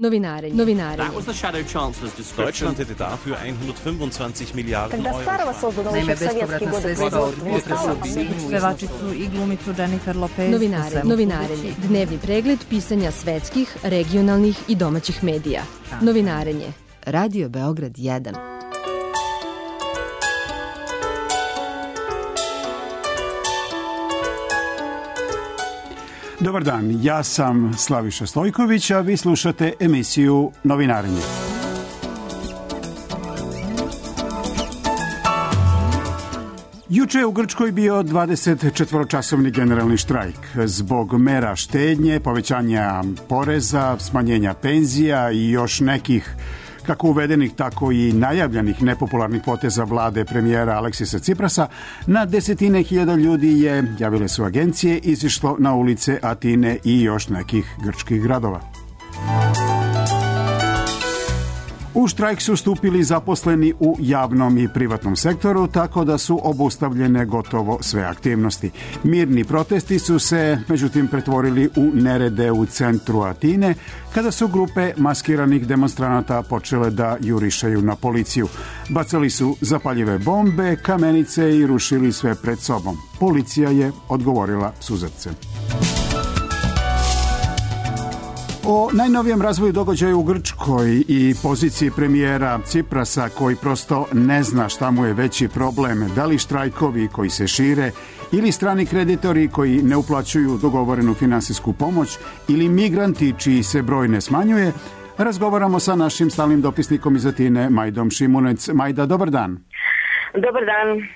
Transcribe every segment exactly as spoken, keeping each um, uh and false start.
Novinarenje. Novinarenje. That was the Shadow Chancellor's description. Deutschland hätte dafür hundertfünfundzwanzig Milliarden Euro. Naime, bespovratna sredstva od pevačicu i glumicu Jennifer Lopez. Novinarenje. Novinarenje. Dnevni pregled pisanja svetskih, regionalnih i domaćih medija. Novinarenje. Radio Beograd jedan. Dobar dan, ja sam Slaviša Stojković, a vi slušate emisiju Novinarenje. Juče je u Grčkoj bio dvadesetčetvoročasovni generalni štrajk zbog mera štednje, povećanja poreza, smanjenja penzija i još nekih kako uvedenih, tako i najavljenih nepopularnih poteza vlade premijera Aleksisa Ciprasa. Na desetine hiljada ljudi je, javile su agencije, izišlo na ulice Atine i još nekih grčkih gradova. U štrajk su stupili zaposleni u javnom i privatnom sektoru, tako da su obustavljene gotovo sve aktivnosti. Mirni protesti su se, međutim, pretvorili u nerede u centru Atine, kada su grupe maskiranih demonstranata počele da jurišaju na policiju. Bacali su zapaljive bombe, kamenice i rušili sve pred sobom. Policija je odgovorila suzavcem. O najnovijem razvoju događaja u Grčkoj i poziciji premijera Ciprasa, koji prosto ne zna šta mu je veći problem, da li štrajkovi koji se šire ili strani kreditori koji ne uplaćuju dogovorenu finansijsku pomoć ili migranti čiji se broj ne smanjuje, razgovaramo sa našim stalnim dopisnikom iz Atine, Majdom Šimunec. Majda, dobar dan. Dobar dan.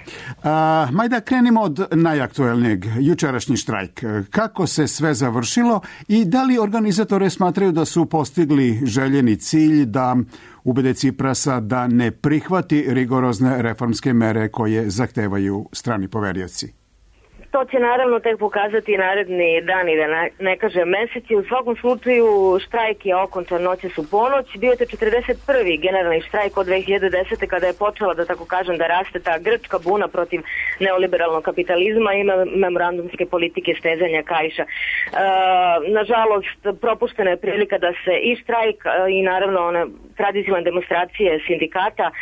A, Majda, krenimo od najaktuelnijeg, jučerašnji štrajk. Kako se sve završilo i da li organizatore smatraju da su postigli željeni cilj da ubede Ciprasa da ne prihvati rigorozne reformske mere koje zahtevaju strani poverioci? To će naravno tek pokazati naredni dani, da ne, ne kaže meseci. U svakom slučaju štrajk je okončan noćas u ponoć. Bio je to četrdeset prvi generalni štrajk od dve hiljade desete. kada je počela, da tako kažem, da raste ta grčka buna protiv neoliberalnog kapitalizma i memorandumske politike stezanja kaiša. E, nažalost, propuštena je prilika da se i štrajk i naravno one tradicionalne demonstracije sindikata e,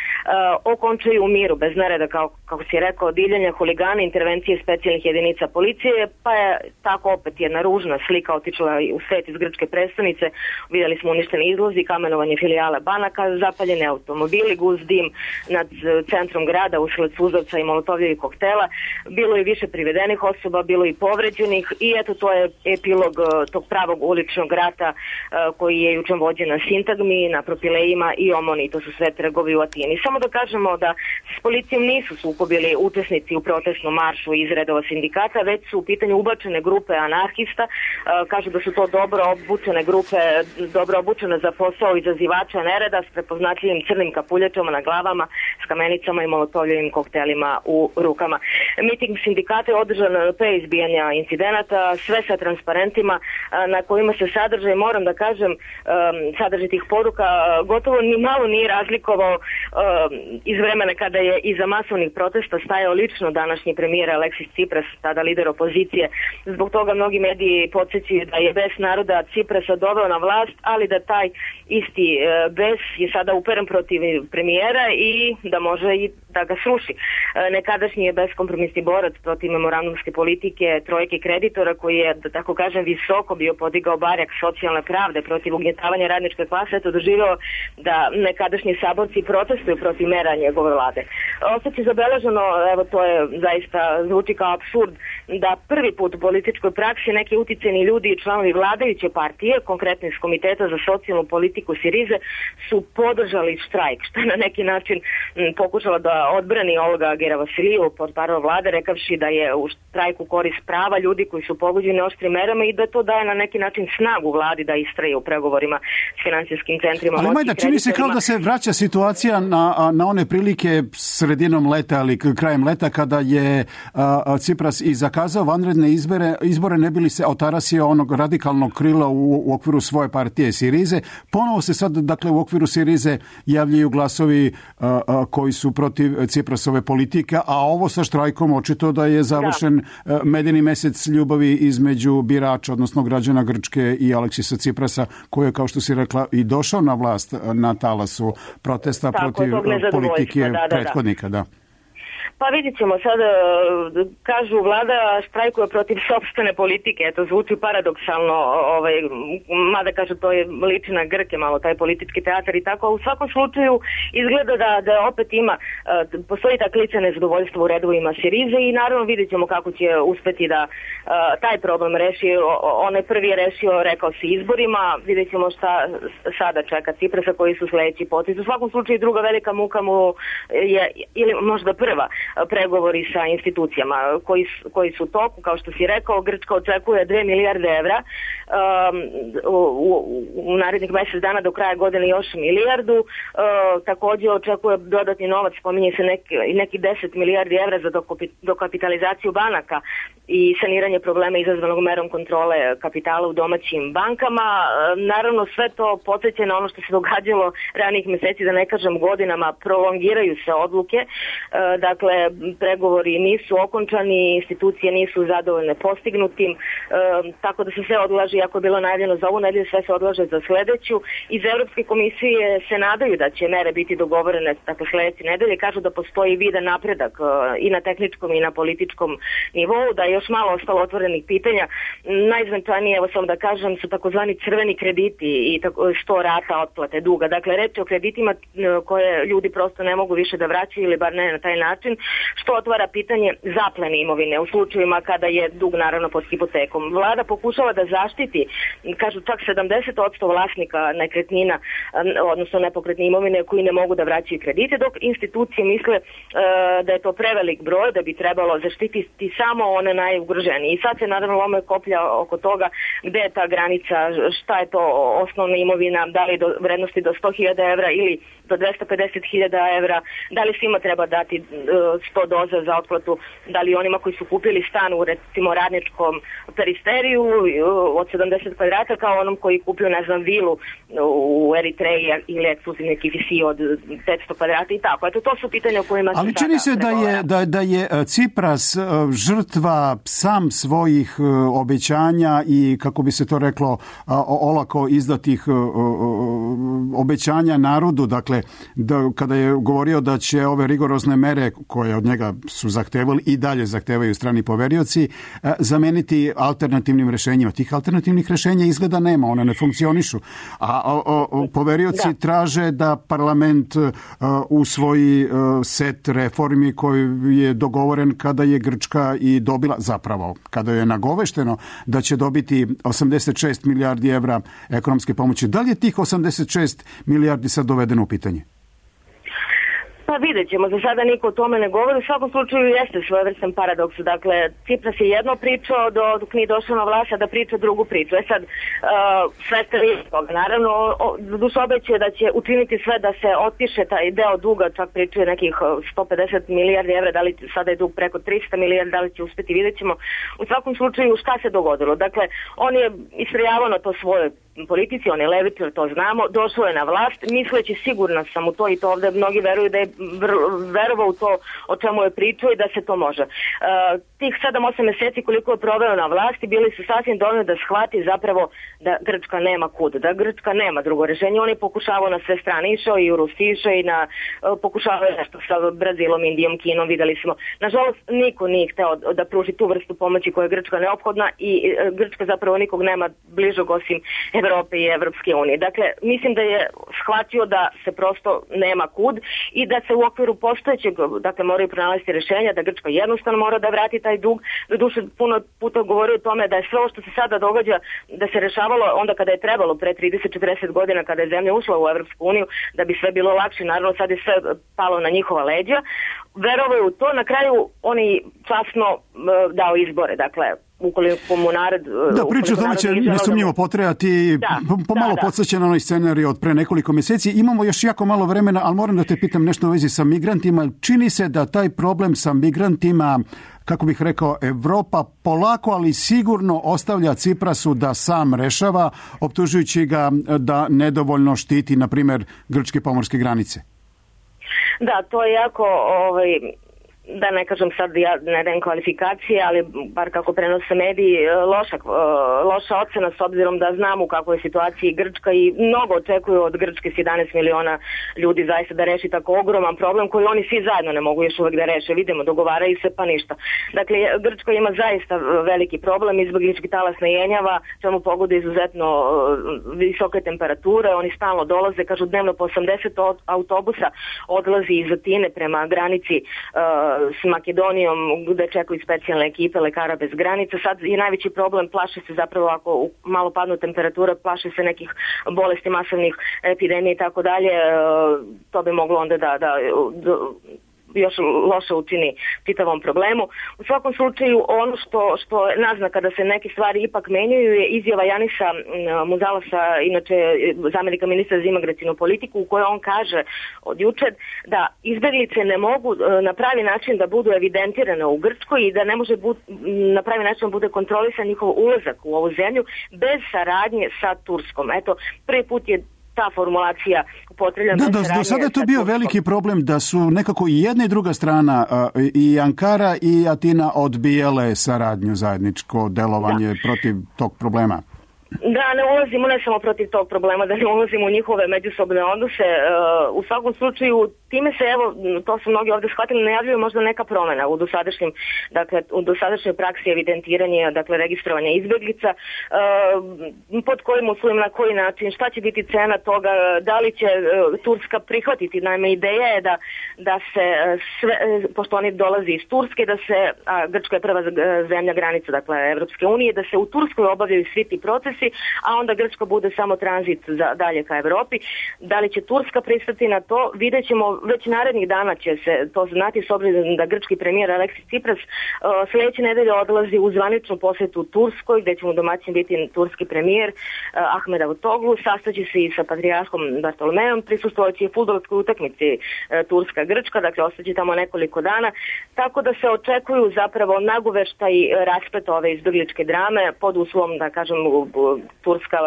okončaju u miru, bez nereda, kao, kako si rekao, divljanja, huligana, intervencije specijalnih jedinica policije, pa je tako opet jedna ružna slika otičila u svet iz grčke prestonice. Vidjeli smo uništeni izlozi, kamenovanje filijala banaka, zapaljene automobili, gust dim nad centrom grada usled suzavca i molotovljevih koktela. Bilo je više privedenih osoba, bilo i povređenih i eto, to je epilog tog pravog uličnog rata koji je jučer vođen na Sintagmi, na Propilejima i Omoni. To su sve trgovi u Atini. Samo da kažemo da s policijom nisu sukobili učesnici u protestnom maršu iz redova sindikata, već su u pitanju ubačene grupe anarhista. Kažu da su to dobro obučene grupe, dobro obučene za posao izazivača nereda s prepoznatljivim crnim kapuljačama na glavama, s kamenicama i molotovljevim koktelima u rukama. Miting sindikata je održan pre izbijanja incidenata, sve sa transparentima na kojima se sadržaj, moram da kažem, sadržaj tih poruka gotovo ni malo nije razlikovao iz vremena kada je iza masovnih protesta stajao lično današnji premijer Aleksis Cipras, tada lider opozicije. Zbog toga mnogi mediji podsjećaju da je bes naroda Ciprasa doveo na vlast, ali da taj isti bes je sada uperen protiv premijera i da može i da ga sruši. Nekadašnji je beskompromisni borac protiv memorandumske politike trojke kreditora, koji je, da tako kažem, visoko bio podigao barjak socijalne pravde protiv ugnjetavanja radničke klase, eto doživeo da nekadašnji saborci protestuju protiv mera njegove vlade. Ostaće zabeleženo, evo to je zaista zvuči kao apsurd, da prvi put u političkoj praksi neki uticajni ljudi i članovi vladajuće partije, konkretno iz Komiteta za socijalnu politiku Sirize, su podržali štrajk, što je na neki način m, pokušala da odbrani Olga Geravasiliju, portparol vlade, rekavši da je u štrajku korist prava ljudi koji su pogođeni oštrim merama i da to daje na neki način snagu vladi da istraje u pregovorima s finansijskim centrima. Ali Majda, čini se kao da se vraća situacija na, na one prilike sredinom leta ali krajem leta kada je a, Cipras i za zakazao vanredne izbore, izbore ne bi li se otarasio onog radikalnog krila u, u okviru svoje partije Sirize. Ponovo se sad, dakle, u okviru Sirize javljaju glasovi a, a, koji su protiv Ciprasove politike, a ovo sa štrajkom očito da je završen da. medeni mesec ljubavi između birača, odnosno građana Grčke i Aleksisa Ciprasa, koji je, kao što si rekla, i došao na vlast na talasu protesta tako, protiv politike da, da, prethodnika. Da. Pa vidjet ćemo sad, kažu vlada štrajkuje protiv sopstvene politike, eto zvuči paradoksalno, ovaj, mada kažu to je liči na Grke malo, taj politički teatar i tako, a u svakom slučaju izgleda da, da opet ima, postoji ta klica nezadovoljstva u redovima Sirize i naravno vidjet ćemo kako će uspeti da taj problem reši. On je prvi rešio, rekao se, izborima, vidjet ćemo šta sada čeka Ciprasa, koji su sledeći potez. U svakom slučaju druga velika muka mu je, ili možda prva, pregovori sa institucijama koji, koji su toku, kao što si rekao. Grčka očekuje dve milijarde evra, um, u, u, u narednih mesec dana do kraja godine još milijardu, uh, također očekuje dodatni novac, spominje se neki, neki deset milijardi evra za dokapitalizaciju banaka i saniranje problema izazvanog merom kontrole kapitala u domaćim bankama. Uh, naravno sve to podsjeća na ono što se događalo ranijih meseci, da ne kažem godinama, prolongiraju se odluke, uh, dakle pregovori nisu okončani, institucije nisu zadovoljne postignutim, e, tako da se sve odlaže, ako je bilo najavljeno za ovu nedelju, sve se odlaže za sledeću. Iz Evropske komisije se nadaju da će mere biti dogovorene, dakle sledeće nedelje, kažu da postoji vidan napredak e, i na tehničkom i na političkom nivou, da je još malo ostalo otvorenih pitanja. Najznačajnije, evo samo da kažem, su takozvani crveni krediti i tako, sto rata otplate duga. Dakle, reč je o kreditima koje ljudi prosto ne mogu više da vraćaju ili bar ne na taj način, što otvara pitanje zaplene imovine u slučajevima kada je dug naravno pod hipotekom. Vlada pokušava da zaštiti, kažu čak sedamdeset posto vlasnika nekretnina, odnosno nepokretne imovine koji ne mogu da vraćaju kredite, dok institucije misle uh, da je to prevelik broj, da bi trebalo zaštititi samo one najugroženije. I sad se naravno lome koplja oko toga gde je ta granica, šta je to osnovna imovina, da li do vrednosti do sto hiljada evra ili do dvesta pedeset hiljada evra, da li svima treba dati uh, sto doza za otplatu, da li onima koji su kupili stan u recimo radničkom peristeriju od sedamdeset kvadrata kao onom koji kupio, ne znam, vilu u Eritreji ili ekskluzivni K F C od petsto kvadrata i tako. Eto, to su pitanja o kojima se ali čini se da je, da, da je Cipras žrtva sam svojih obećanja i, kako bi se to reklo, olako izdatih obećanja narodu. Dakle, da, kada je govorio da će ove rigorozne mere koje od njega su zahtevali i dalje zahtevaju strani poverioci, zameniti alternativnim rešenjima. Tih alternativnih rešenja izgleda nema, one ne funkcionišu. A o, o, poverioci da. traže da parlament uh, usvoji uh, set reformi koji je dogovoren kada je Grčka i dobila, zapravo, kada je nagovešteno da će dobiti osamdeset šest milijardi evra ekonomske pomoći. Da li je tih osamdeset šest milijardi sad dovedeno u pitanje? Pa vidjet ćemo, za sada niko o tome ne govori, u svakom slučaju jeste svojevrstan paradoks. Dakle, Cipras je jedno pričao do, dok nije došao na vlast, da priča drugu priču. E sad, uh, sve ste vidjeti toga. Naravno, duš obećuje da će učiniti sve da se otpiše taj deo duga, čak pričuje nekih sto pedeset milijardi evra, da li sada je dug preko tristo milijardi, da li će uspeti, vidjet ćemo. U svakom slučaju, šta se dogodilo? Dakle, on je istrajavao na to svoje politici, on je levičar, to znamo, došao je na vlast, misleći, sigurna sam u to i to ovde mnogi veruju da je verovao u to o čemu je pričao i da se to može. Uh, tih sedam osam meseci koliko je proveo na vlasti bili su sasvim dovoljni da shvati zapravo da Grčka nema kud, da Grčka nema drugo rešenje. On je pokušavao na sve strane, išao i u Rusiju, išao i na, uh, pokušavao je nešto sa Brazilom, Indijom, Kinom, videli smo. Nažalost, niko nije hteo da pruži tu vrstu pomoći koja je Grčka neophodna i uh, Grčka zapravo nikog nema bližog osim Evrope i Evropske unije. Dakle, mislim da je shvatio da se prosto nema kud i da se u okviru postojećeg, dakle, moraju pronalaziti rešenja, da Grčka jednostavno mora da vrati taj dug. Doduše, puno puta govori o tome da je sve ovo što se sada događa, da se rešavalo onda kada je trebalo, pre trideset četrdeset godina, kada je zemlja ušla u Evropsku uniju, da bi sve bilo lakše. Naravno, sad je sve palo na njihova leđa. Verovaju u to, na kraju oni časno uh, dao izbore, dakle, ukoliko mu narod... Da, priča o tome će nesumnjivo potrajati, da, pomalo da, da. podsjeća na onoj scenarij od pre nekoliko mjeseci. Imamo još jako malo vremena, ali moram da te pitam nešto u vezi sa migrantima. Čini se da taj problem sa migrantima, kako bih rekao, Evropa polako, ali sigurno ostavlja Ciprasu da sam rešava, optužujući ga da nedovoljno štiti, na primjer, grčke pomorske granice. Da, to je jako... Ovaj... da ne kažem sad ja ne dajem kvalifikacije, ali bar kako prenose mediji, loša, loša ocena s obzirom da znam u kakvoj situaciji Grčka i mnogo očekuju od Grčke s jedanaest miliona ljudi zaista da reši tako ogroman problem koji oni svi zajedno ne mogu još uvek da reše. Vidimo, dogovaraju se pa ništa. Dakle, Grčka ima zaista veliki problem, izbeglički talas ne jenjava, čemu pogode izuzetno visoke temperature, oni stalno dolaze, kažu dnevno po osamdeset autobusa odlazi iz Atine prema granici s Makedonijom gde čekaju specijalne ekipe lekara bez granica. Sad je najveći problem, plaše se zapravo ako malo padnu temperatura, plaše se nekih bolesti, masovnih epidemija i tako dalje. To bi moglo onda da, da, da još loše učini čitavom problemu. U svakom slučaju ono što, što je naznaka da se neke stvari ipak menjaju je izjava Janisa Muzalasa, inače zamjenika ministra za imigracionu politiku, u kojoj on kaže od jučer da izbeglice ne mogu na pravi način da budu evidentirane u Grčkoj i da ne može bud, na pravi način bude kontrolisan njihov ulazak u ovu zemlju bez saradnje sa Turskom. Eto, prvi put je ta formulacija upotrebljena. Da, da, do sada je to bio veliki problem da su nekako i jedna i druga strana, i Ankara i Atina, odbijale saradnju, zajedničko delovanje da. protiv tog problema. Da, ne ulazimo ne samo protiv tog problema, da ne ulazimo u njihove međusobne odnose. U svakom slučaju, time se, evo, to su mnogi ovdje shvatili, najavljuje možda neka promjena u dosadašnjem, dakle, u dosadašnjoj praksi evidentiranja, dakle, registrovanja izbjeglica, pod kojim uslovima, na koji način, šta će biti cena toga, da li će Turska prihvatiti. Naime, ideja je da, da se sve, pošto oni dolazi iz Turske, da se, a Grčka je prva zemlja granica, dakle, Evropske unije, da se u Turskoj obavljaju svi ti procesi, a onda Grčka bude samo tranzit za dalje ka Evropi. Da li će Turska pristati na to? Vidjet ćemo, već narednih dana će se to znati, s obzirom da grčki premijer Aleksis Tsipras uh, sljedeće nedelje odlazi u zvaničnu posjetu u Turskoj, gdje će mu domaćin biti turski premijer uh, Ahmed Davutoglu, sastaće se i sa patrijarhom Bartolomejom, prisustvovaće i fudbalskoj utakmici uh, Turska-Grčka, dakle ostaće tamo nekoliko dana, tako da se očekuju zapravo nagoveštaj raspleta ove izbegličke drame pod uslovom, da kažem, Turska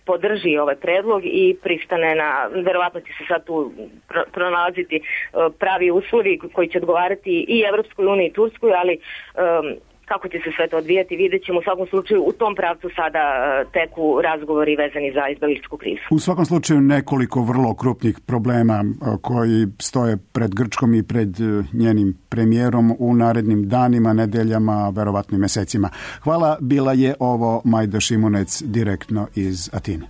podrži ovaj predlog i pristane na, verovatno će se sad tu pronalaziti pravi uslovi koji će odgovarati i Evropskoj uniji i Turskoj, ali um, kako će se sve to odvijati, vidjet ćemo. U svakom slučaju u tom pravcu sada teku razgovori vezani za izbegličku krizu. U svakom slučaju nekoliko vrlo krupnih problema koji stoje pred Grčkom i pred njenim premijerom u narednim danima, nedeljama, verovatno i mesecima. Hvala, bila je ovo Majda Šimunec direktno iz Atine.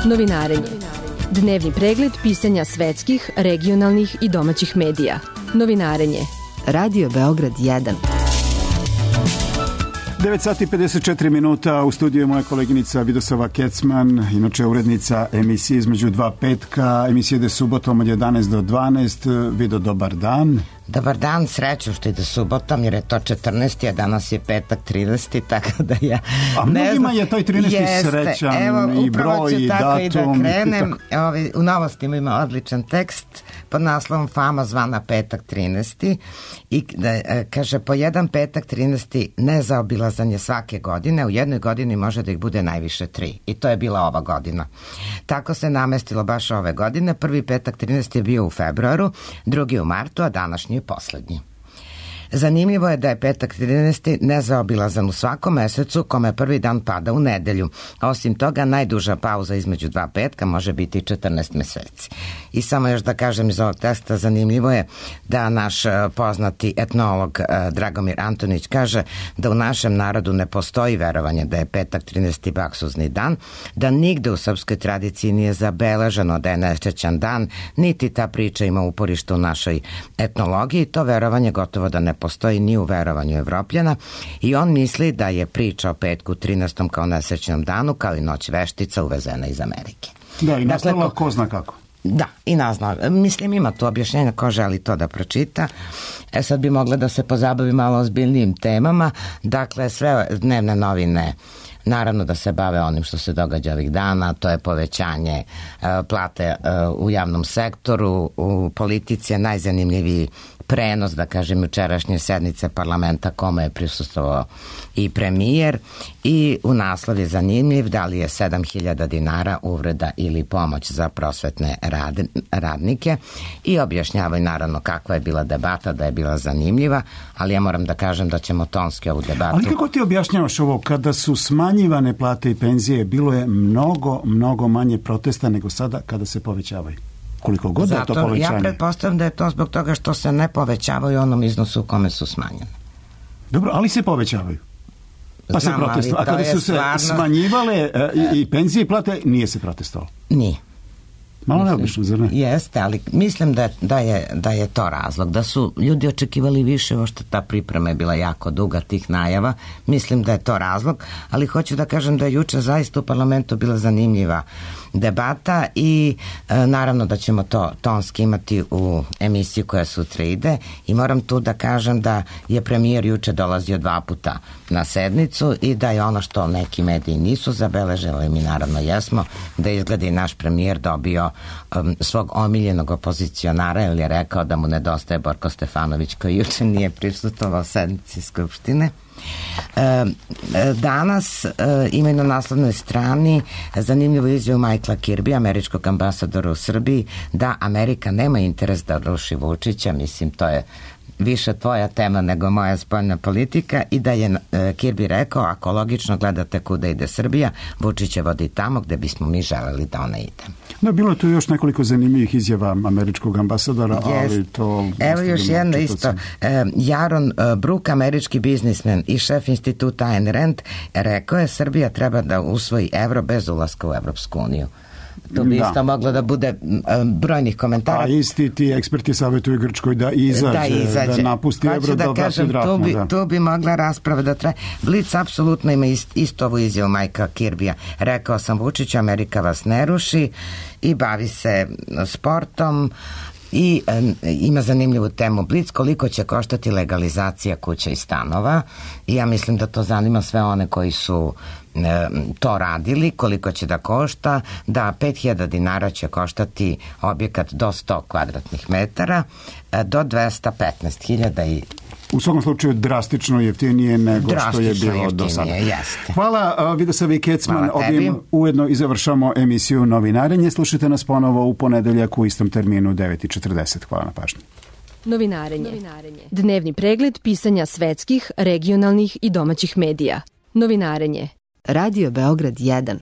Novinarenje. Dnevni pregled pisanja svetskih, regionalnih i domaćih medija. Novinarenje. Radio Beograd jedan. devet sati pedeset četiri minuta, u studiju je moja koleginica Vidosava Kecman, inače urednica emisije Između dva petka, emisije ide subotom od jedanaest do dvanaest. Vido, dobar dan. Dobar dan, sreću što ide subotom, jer je to četrnaesti, a danas je petak trinaesti, tako da ja a ne mnogima znam. je taj trinaesti srećan. Evo, i broj i datum. I da krenem. I Ovi, u novostima ima odličan tekst pod naslovom Fama zvana petak trinaesti i da, kaže, po jedan petak trinaesti nezaobilazan je svake godine, u jednoj godini može da ih bude najviše tri. I to je bila ova godina. Tako se namestilo baš ove godine. Prvi petak trinaesti je bio u februaru, drugi u martu, a današnji je poslednji. Zanimljivo je da je petak trinaesti nezaobilazan u svakom mesecu kome prvi dan pada u nedelju. Osim toga, najduža pauza između dva petka može biti četrnaest meseci. I samo još da kažem iz ovog teksta, zanimljivo je da naš poznati etnolog Dragomir Antonić kaže da u našem narodu ne postoji verovanje da je petak trinaesti baksuzni dan, da nigde u srpskoj tradiciji nije zabeleženo da je nesrećan dan, niti ta priča ima uporište u našoj etnologiji. To verovanje gotovo da ne postoji ni u verovanju Evropljana i on misli da je priča o petku trinaestom kao nesrećnom danu, kao i noć veštica uvezena iz Amerike. Da, i nastala dakle, ko zna kako. Da, i nazna. Mislim, ima tu objašnjenja ko želi to da pročita. E sad bi mogla da se pozabavi malo ozbiljnijim temama. Dakle, sve dnevne novine naravno da se bave onim što se događa ovih dana, to je povećanje uh, plate uh, u javnom sektoru, u politici je najzanimljiviji prenos, da kažem, jučerašnje sednice parlamenta kome je prisustvovao i premijer i u naslov je zanimljiv da li je sedam hiljada dinara uvreda ili pomoć za prosvetne rad, radnike i objašnjavaju naravno kakva je bila debata, da je bila zanimljiva, ali ja moram da kažem da ćemo tonski ovu debatu... Ali kako ti objašnjavaš ovo? Kada su smanjivane plate i penzije, bilo je mnogo, mnogo manje protesta nego sada kada se povećavaju. Koliko god Zato, je to povećanje. Ja pretpostavljam da je to zbog toga što se ne povećavaju u onom iznosu u kome su smanjene. Dobro, ali se povećavaju. Pa Znam, se protestovalo. A kada su se stvarno... smanjivale i, i penzije i plate, nije se protestovalo. Nije. Malo neobično, zar ne? Jeste, ali mislim da, da, je, da je to razlog. Da su ljudi očekivali više, ovo što ta priprema je bila jako duga tih najava. Mislim da je to razlog, ali hoću da kažem da je juče zaista u parlamentu bila zanimljiva debata i e, naravno da ćemo to tonski imati u emisiji koja sutra ide i moram tu da kažem da je premijer juče dolazio dva puta na sednicu i da je ono što neki mediji nisu zabeležili, mi naravno jesmo, da izgleda i naš premijer dobio um, svog omiljenog opozicionara jer je rekao da mu nedostaje Borko Stefanović koji juče nije prisustvovao sednici Skupštine. E, danas e, imaju na naslovnoj strani zanimljivu izjavu Michaela Kirby, američkog ambasadora u Srbiji, da Amerika nema interes da ruši Vučića. Mislim, to je više tvoja tema nego moja spoljna politika i da je e, Kirby rekao, ako logično gledate kuda ide Srbija, Vučić je vodi tamo gde bismo mi želeli da ona ide. Da, bilo je tu još nekoliko zanimljivih izjava američkog ambasadora, yes. ali to... Evo još jedna isto. E, Jaron e, Brook, američki biznismen i šef instituta Ayn Rand, rekao je Srbija treba da usvoji evro bez ulaska u Evropsku uniju. To bi da. isto moglo da bude um, brojnih komentara. A isti ti eksperti savjetuju Grčkoj da izađe, da, izađe. da napusti pa evro, da, da vrati drahmu. Tu bi, da. tu bi mogla rasprava da traje. Blic apsolutno ima ist, isto ovu izjavu Majka Kirbija. Rekao sam Vučiću, Amerika vas ne ruši i bavi se sportom i e, ima zanimljivu temu Blic, koliko će koštati legalizacija kuća i stanova i ja mislim da to zanima sve one koji su e, to radili, koliko će da košta, da pet hiljada dinara će koštati objekat do sto kvadratnih metara, e, do dvesta petnaest hiljada i u svakom slučaju drastično jeftinije nego drastično što je bilo do sada. Jeste. Hvala, Vidosavi Kecman. Ovim ujedno i završamo emisiju Novinarenje. Slušajte nas ponovo u ponedeljak u istom terminu devet i četrdeset. Hvala na pažnji. Novinarenje. Novinarenje. Dnevni pregled pisanja svetskih, regionalnih i domaćih medija. Novinarenje. Radio Beograd jedan.